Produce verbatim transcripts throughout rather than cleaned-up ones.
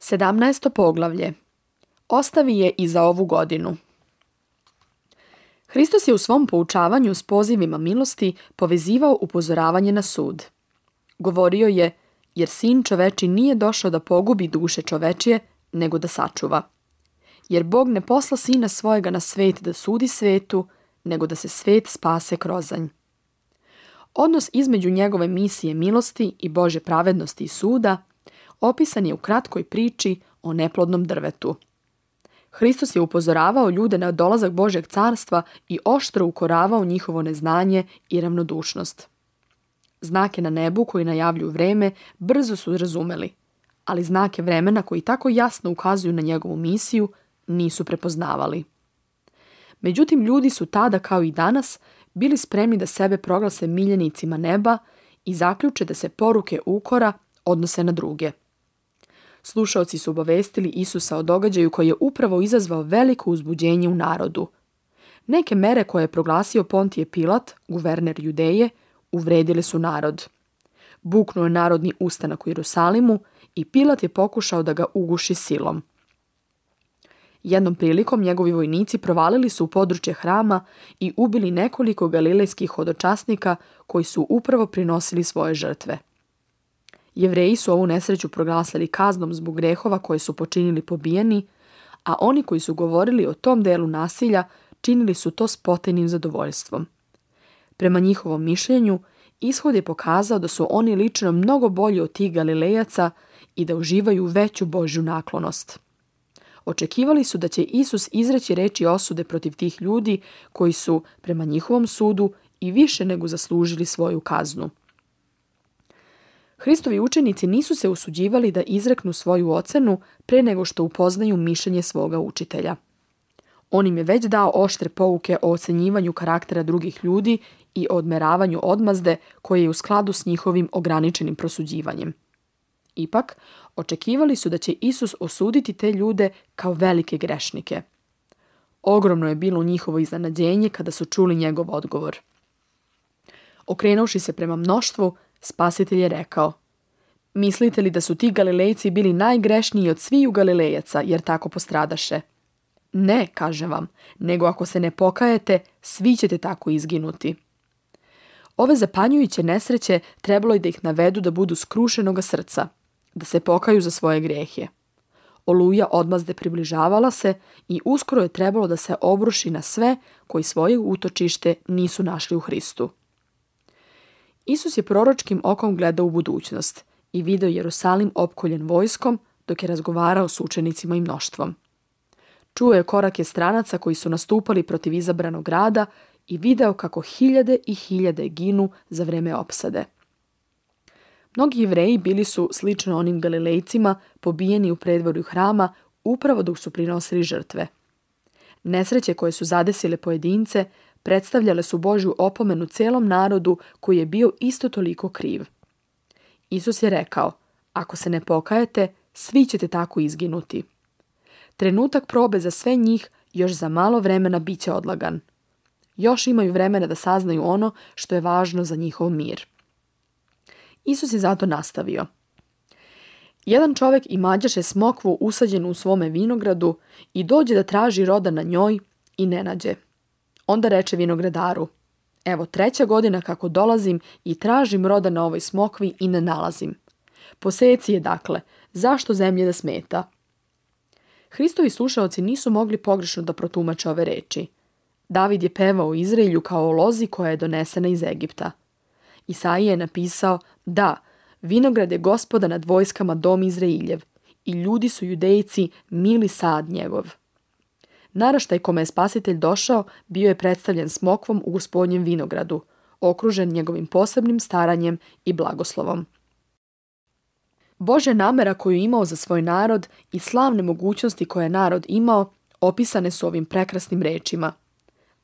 Sedamnaesto poglavlje. Ostavi je i za ovu godinu. Hristos je u svom poučavanju s pozivima milosti povezivao upozoravanje na sud. Govorio je, jer sin čoveči nije došao da pogubi duše čovečije, nego da sačuva. Jer Bog ne posla sina svojega na svet da sudi svetu, nego da se svet spase krozanj. Odnos između njegove misije milosti i Božje pravednosti i suda opisan je u kratkoj priči o neplodnom drvetu. Hristos je upozoravao ljude na dolazak Božjeg carstva i oštro ukoravao njihovo neznanje i ravnodušnost. Znake na nebu koji najavljuju vreme brzo su razumeli, ali znake vremena koji tako jasno ukazuju na njegovu misiju nisu prepoznavali. Međutim, ljudi su tada kao i danas bili spremni da sebe proglase miljenicima neba i zaključe da se poruke ukora odnose na druge. Slušaoci su obavestili Isusa o događaju koji je upravo izazvao veliko uzbuđenje u narodu. Neke mere koje je proglasio Pontije Pilat, guverner Judeje, uvredile su narod. Buknuo je narodni ustanak u Jerusalimu i Pilat je pokušao da ga uguši silom. Jednom prilikom njegovi vojnici provalili su u područje hrama i ubili nekoliko galilejskih hodočasnika koji su upravo prinosili svoje žrtve. Jevreji su ovu nesreću proglasili kaznom zbog grehova koje su počinili pobijeni, a oni koji su govorili o tom delu nasilja činili su to s potajnim zadovoljstvom. Prema njihovom mišljenju, ishod je pokazao da su oni lično mnogo bolji od tih Galilejaca i da uživaju veću Božju naklonost. Očekivali su da će Isus izreći reči osude protiv tih ljudi koji su, prema njihovom sudu, i više nego zaslužili svoju kaznu. Hristovi učenici nisu se usuđivali da izreknu svoju ocenu pre nego što upoznaju mišljenje svoga učitelja. On im je već dao oštre pouke o ocenjivanju karaktera drugih ljudi i o odmeravanju odmazde koje je u skladu s njihovim ograničenim prosuđivanjem. Ipak, očekivali su da će Isus osuditi te ljude kao velike grešnike. Ogromno je bilo njihovo iznenađenje kada su čuli njegov odgovor. Okrenuši se prema mnoštvu, Spasitelj je rekao: mislite li da su ti Galilejci bili najgrešniji od sviju Galilejaca, jer tako postradaše? Ne, kažem vam, nego ako se ne pokajete, svi ćete tako izginuti. Ove zapanjujuće nesreće trebalo je da ih navedu da budu skrušenoga srca, da se pokaju za svoje grijehe. Oluja odmazde približavala se i uskoro je trebalo da se obruši na sve koji svoje utočište nisu našli u Hristu. Isus je proročkim okom gledao u budućnost i video Jerusalim opkoljen vojskom dok je razgovarao s učenicima i mnoštvom. Čuo je korake stranaca koji su nastupali protiv izabranog grada i video kako hiljade i hiljade ginu za vreme opsade. Mnogi Jevreji bili su, slično onim Galilejcima, pobijeni u predvorju hrama upravo dok su prinosili žrtve. Nesreće koje su zadesile pojedince predstavljale su Božju opomenu celom narodu koji je bio isto toliko kriv. Isus je rekao: ako se ne pokajete, svi ćete tako izginuti. Trenutak probe za sve njih još za malo vremena bit će odlagan. Još imaju vremena da saznaju ono što je važno za njihov mir. Isus je zato nastavio: jedan čovjek imađaše smokvu usađenu u svome vinogradu i dođe da traži roda na njoj i ne nađe. Onda reče vinogradaru: evo treća godina kako dolazim i tražim roda na ovoj smokvi i ne nalazim. Poseci je dakle, zašto zemlje da smeta? Hristovi slušaoci nisu mogli pogrešno da protumače ove reči. David je pevao o Izraelju kao o lozi koja je donesena iz Egipta. Isaija je napisao: da, vinograd je Gospoda nad vojskama dom Izrailjev i ljudi su Judejci mili sad njegov. Naraštaj kome je Spasitelj došao bio je predstavljen smokvom u Gospodnjem vinogradu, okružen njegovim posebnim staranjem i blagoslovom. Božja namera koju je imao za svoj narod i slavne mogućnosti koje je narod imao opisane su ovim prekrasnim rečima: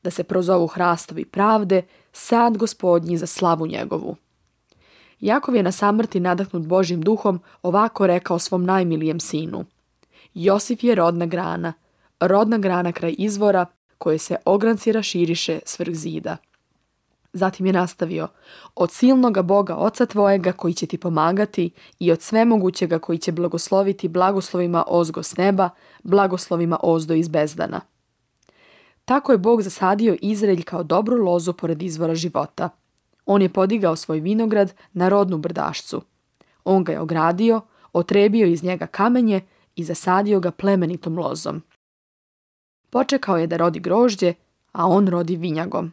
da se prozovu hrastovi pravde, sad Gospodnji za slavu njegovu. Jakov je na samrti nadahnut Božjim duhom ovako rekao svom najmilijem sinu: Josif je rodna grana, rodna grana kraj izvora koje se ogranci raširiše svrh zida. Zatim je nastavio: od silnoga Boga Oca tvojega koji će ti pomagati i od svemogućega koji će blagosloviti blagoslovima ozgo s neba, blagoslovima ozdo iz bezdana. Tako je Bog zasadio Izraelj kao dobru lozu pored izvora života. On je podigao svoj vinograd na rodnu brdašcu. On ga je ogradio, otrebio iz njega kamenje i zasadio ga plemenitom lozom. Počekao je da rodi grožđe, a on rodi vinjagom.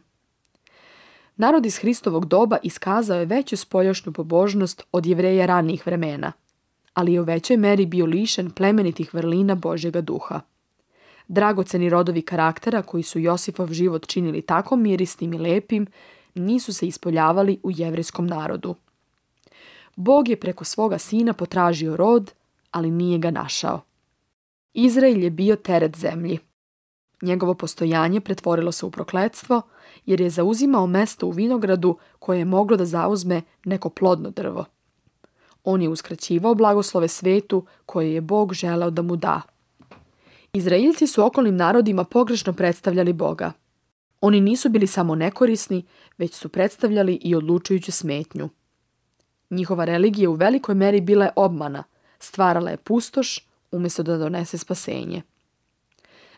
Narod iz Hristovog doba iskazao je veću spoljašnju pobožnost od Jevreja ranijih vremena, ali je u većoj meri bio lišen plemenitih vrlina Božjega duha. Dragoceni rodovi karaktera koji su Josifov život činili tako mirisnim i lepim, nisu se ispoljavali u jevrejskom narodu. Bog je preko svoga sina potražio rod, ali nije ga našao. Izrael je bio teret zemlji. Njegovo postojanje pretvorilo se u prokletstvo, jer je zauzimao mesto u vinogradu koje je moglo da zauzme neko plodno drvo. On je uskraćivao blagoslove svetu koje je Bog želeo da mu da. Izraeljci su okolnim narodima pogrešno predstavljali Boga. Oni nisu bili samo nekorisni, već su predstavljali i odlučujuću smetnju. Njihova religija u velikoj meri bila je obmana, stvarala je pustoš umjesto da donese spasenje.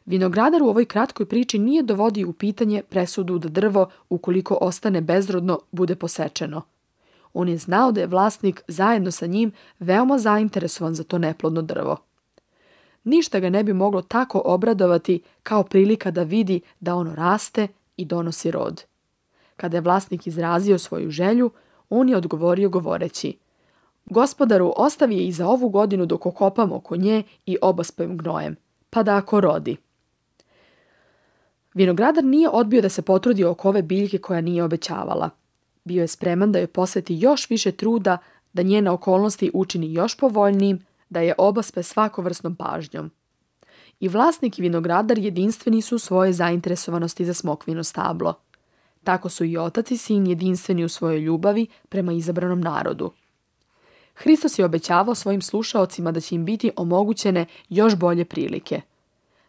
Vinogradar u ovoj kratkoj priči nije dovodio u pitanje presudu da drvo, ukoliko ostane bezrodno, bude posečeno. On je znao da je vlasnik zajedno sa njim veoma zainteresovan za to neplodno drvo. Ništa ga ne bi moglo tako obradovati kao prilika da vidi da ono raste i donosi rod. Kada je vlasnik izrazio svoju želju, on je odgovorio govoreći: Gospodaru, ostavi je i za ovu godinu dok okopam oko nje i obaspem gnojem, pa da ako rodi. Vinogradar nije odbio da se potrudi oko ove biljke koja nije obećavala. Bio je spreman da joj posveti još više truda, da njene okolnosti učini još povoljnijim, da je obaspe svakovrsnom pažnjom. I vlasnik i vinogradar jedinstveni su u svojoj zainteresovanosti za smokvino stablo. Tako su i otac i sin jedinstveni u svojoj ljubavi prema izabranom narodu. Hristos je obećavao svojim slušaocima da će im biti omogućene još bolje prilike.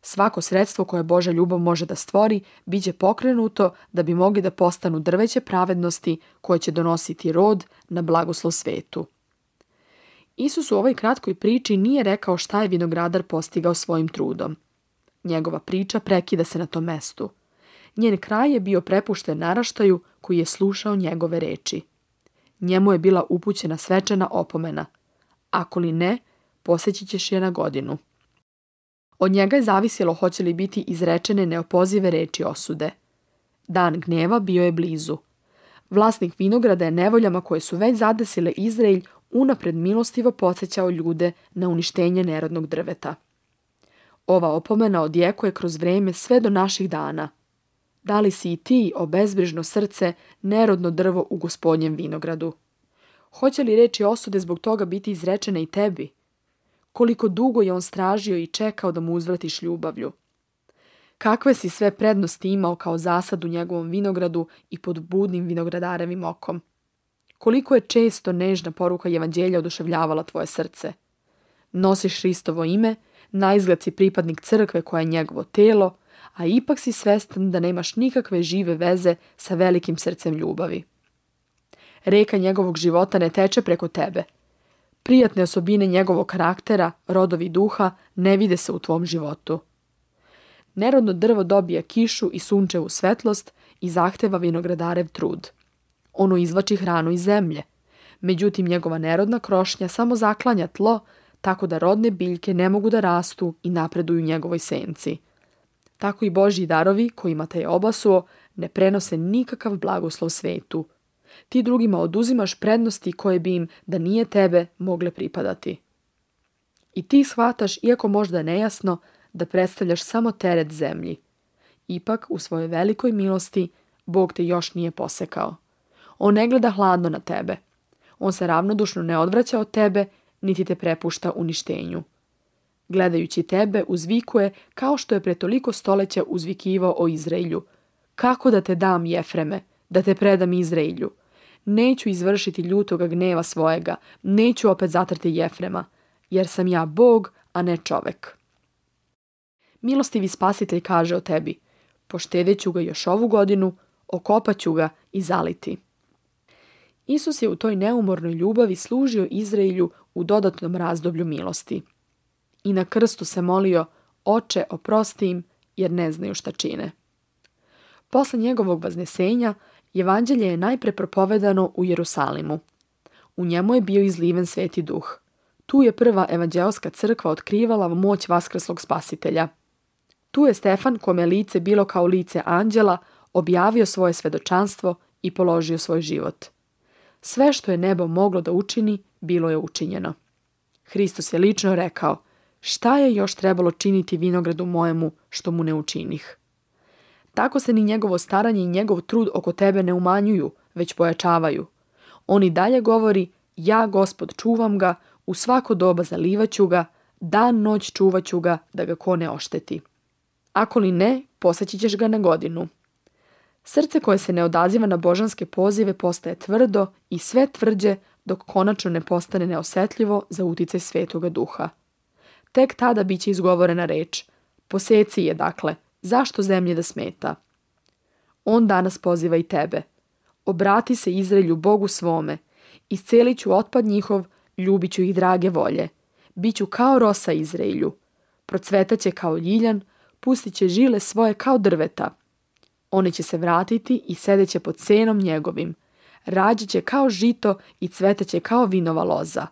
Svako sredstvo koje Božja ljubav može da stvori, bit će pokrenuto da bi mogli da postanu drveće pravednosti koje će donositi rod na blagoslov svetu. Isus u ovoj kratkoj priči nije rekao šta je vinogradar postigao svojim trudom. Njegova priča prekida se na tom mestu. Njen kraj je bio prepušten naraštaju koji je slušao njegove reči. Njemu je bila upućena svečana opomena. Ako li ne, poseći ćeš je na godinu. Od njega je zavisjelo hoće li biti izrečene neopozive reči osude. Dan gnjeva bio je blizu. Vlasnik vinograda je nevoljama koje su već zadesile Izraelj unapred milostivo podsjećao ljude na uništenje nerodnog drveta. Ova opomena odjekuje kroz vreme sve do naših dana. Da li si i ti, obezbrižno srce, nerodno drvo u Gospodnjem vinogradu? Hoće li reči osude zbog toga biti izrečene i tebi? Koliko dugo je on stražio i čekao da mu uzvratiš ljubavlju? Kakve si sve prednosti imao kao zasad u njegovom vinogradu i pod budnim vinogradarevim okom? Koliko je često nežna poruka evanđelja oduševljavala tvoje srce? Nosiš Hristovo ime, naizgled si pripadnik crkve koja je njegovo telo, a ipak si svestan da nemaš nikakve žive veze sa velikim srcem ljubavi. Reka njegovog života ne teče preko tebe. Prijatne osobine njegovog karaktera, rodovi duha, ne vide se u tvom životu. Nerodno drvo dobija kišu i sunčevu svetlost i zahteva vinogradarev trud. Ono izvlači hranu iz zemlje. Međutim, njegova nerodna krošnja samo zaklanja tlo, tako da rodne biljke ne mogu da rastu i napreduju u njegovoj senci. Tako i Božji darovi, kojima te je obasuo, ne prenose nikakav blagoslov svetu. Ti drugima oduzimaš prednosti koje bi im, da nije tebe, mogle pripadati. I ti shvataš, iako možda nejasno, da predstavljaš samo teret zemlji. Ipak, u svojoj velikoj milosti, Bog te još nije posekao. On ne gleda hladno na tebe. On se ravnodušno ne odvraća od tebe, niti te prepušta uništenju. Gledajući tebe, uzvikuje kao što je pre toliko stoleća uzvikivao o Izraelju. Kako da te dam, Jefreme, da te predam Izraelju? Neću izvršiti ljutoga gneva svojega, neću opet zatrti Jefrema, jer sam ja Bog, a ne čovek. Milostivi spasitelj kaže o tebi: poštedeću ga još ovu godinu, okopaću ga i zaliti. Isus je u toj neumornoj ljubavi služio Izraelju u dodatnom razdoblju milosti. I na krstu se molio: Oče, oprosti im, jer ne znaju šta čine. Posle njegovog vaznesenja, evanđelje je najpre propovedano u Jerusalimu. U njemu je bio izliven Sveti Duh. Tu je prva evanđeoska crkva otkrivala moć vaskrslog Spasitelja. Tu je Stefan, kome lice bilo kao lice anđela, objavio svoje svedočanstvo i položio svoj život. Sve što je nebo moglo da učini, bilo je učinjeno. Hristos je lično rekao: šta je još trebalo činiti vinogradu mojemu što mu ne učinih? Tako se ni njegovo staranje i njegov trud oko tebe ne umanjuju, već pojačavaju. On i dalje govori: ja, Gospod, čuvam ga, u svako doba zalivaću ga, dan noć čuvaću ga, da ga ko ne ošteti. Ako li ne, poseći ćeš ga na godinu. Srce koje se ne odaziva na božanske pozive postaje tvrdo i sve tvrđe dok konačno ne postane neosetljivo za uticaj Svetoga Duha. Tek tada biće izgovorena reč: poseci je, dakle, zašto zemlje da smeta? On danas poziva i tebe. Obrati se Izraelju, Bogu svome, iscelit ću otpad njihov, ljubit ću ih drage volje. Biću kao rosa Izraelju, procvetaće kao ljiljan, pustit će žile svoje kao drveta. Oni će se vratiti i sedeće pod senom njegovim. Rađaće kao žito i cvetaće kao vinova loza.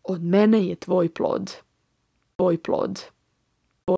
Od mene je tvoj plod. Tvoj plod.